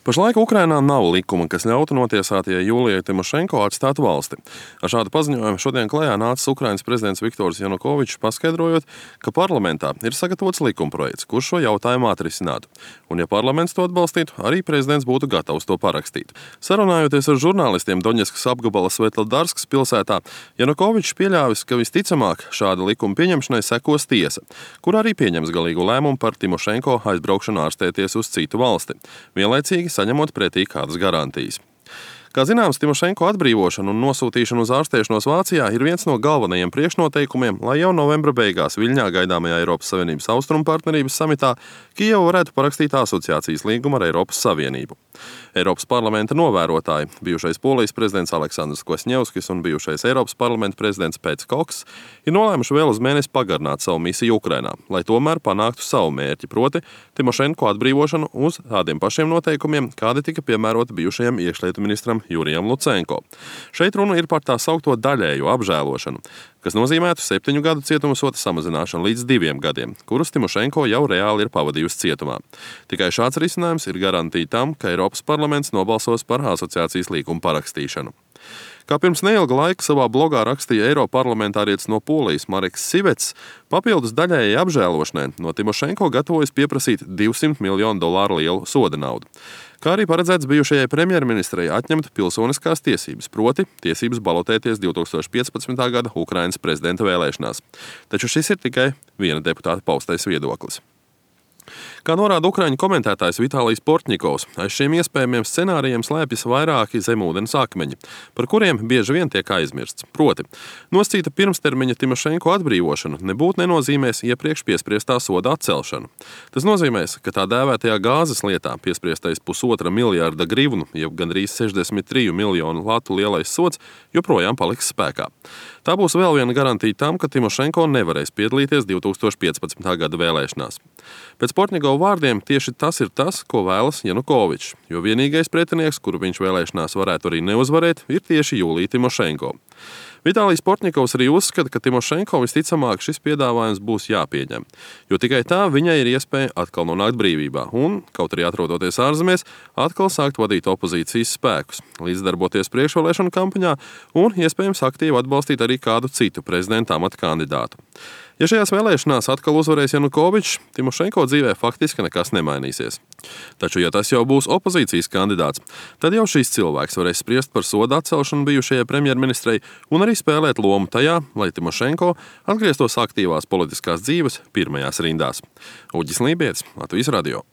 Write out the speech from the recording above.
Pašlaik Ukrainā nav likuma, kas ļautu notiesātajai Jūlijai Timošenko atstāt valsti. Ar šādu paziņojumu šodien klajā nācis Ukrainas prezidents Viktors Janukovičs, paskaidrojot, ka parlamentā ir sagatavots likumprojekts, kurš šo jautājumu atrisinātu. Un ja parlaments to atbalstītu, arī prezidents būtu gatavs to parakstīt. Sarunājoties ar žurnālistiem Doņetskas apgabala Svetlodarskas pilsētā, Janukovičs pieļāvis, ka visticamāk šāda likuma pieņemšanai sekos tiesa, kur arī pieņems galīgu lēmumu par Timošenko aizbraukšanu ārstēties uz citu valsti, vienlaicīgi saņemot pretī kādas garantijas. Kā zināms, Timošenko atbrīvošana un nosūtīšana uz ārstēšanos Vācijā ir viens no galvenajiem priekšnoteikumiem, lai jau novembra beigās Viļņā gaidāmajā Eiropas Savienības austrumu partnerības samitā Kijeva varētu parakstīt asociācijas līgumu ar Eiropas Savienību. Eiropas parlamenta novērotāji, bijušais Polijas prezidents Aleksandrs Kvasņevskis un bijušais Eiropas parlamenta prezidents Pēts Koks, ir nolēmuši vēl uz mēnesi pagarināt savu misiju Ukrainā, lai tomēr panāktu savu mērķi, proti Timošenko atbrīvošanu uz tādiem pašiem noteikumiem, kādi tika piemēroti bijušajam iekšlietu ministram Jurijam Lucenko. Šeit runa ir par tā saukto daļējo apžēlošanu, kas nozīmētu 7 gadu cietumsoda samazināšanu līdz 2 gadiem, kurus Timošenko jau reāli ir pavadījusi cietumā. Tikai šāds risinājums ir garantija tam, ka Eiropas parlaments nobalsos par asociācijas līgumu parakstīšanu. Kā pirms neilga laika savā blogā rakstīja eiroparlamentārietis no Polijas Mareks Sivets, papildus daļējai apžēlošanai no Timošenko gatavojas pieprasīt $200 miljonu lielu soda naudu. Kā arī paredzēts bijušajai premjerministrei atņemt pilsoniskās tiesības, proti tiesības balotēties 2015. gada Ukrainas prezidenta vēlēšanās. Taču šis ir tikai viena deputāta paustais viedoklis. Kā norāda ukraiņu komentētājs Vitālijs Portņikovs, aiz šiem iespējamiem scenārijiem slēpjas vairāki zemūdens akmeņi, par kuriem bieži vien tiek aizmirsts. Proti, nosacīta pirmstermiņa Timošenko atbrīvošana nebūtu nenozīmēs iepriekš piespriestā soda atcelšanu. Tas nozīmēs, ka tā dēvētajā gāzes lietā piespriestais 1,5 miljārda grivnu, jeb gandrīz 63 miljonu latu lielais sods, joprojām paliks spēkā. Tā būs vēl viena garantija tam, ka Timošenko nevarēs piedalīties 2015. gada vēlēšanās. Pēc Portņikova vārdiem tieši tas ir tas, ko vēlas Janukovičs, jo vienīgais pretinieks, kuru viņš vēlēšanās varētu arī neuzvarēt, ir tieši Jūlija Timošenko. Vitālijs Portņikovs arī uzskata, ka Timošenko visticamāk šis piedāvājums būs jāpieņem, jo tikai tā viņai ir iespēja atkal nonākt brīvībā un, kaut arī atrodoties ārzemēs, atkal sākt vadīt opozīcijas spēkus, līdzdarboties priekšvēlēšanu kampaņā un, iespējams, aktīvi atbalstīt arī kādu citu prezidenta amata kandidātu. Ja šajās vēlēšanās atkal uzvarēs Janukovičs, Timošenko dzīvē faktiski nekas nemainīsies. Taču, ja tas jau būs opozīcijas kandidāts, tad jau šīs cilvēks varēs spriest par soda atcelšanu bijušajai premjerministrei un arī spēlēt lomu tajā, lai Timošenko atgrieztos aktīvās politiskās dzīves pirmajās rindās. Uģis Lībietis, Latvijas radio.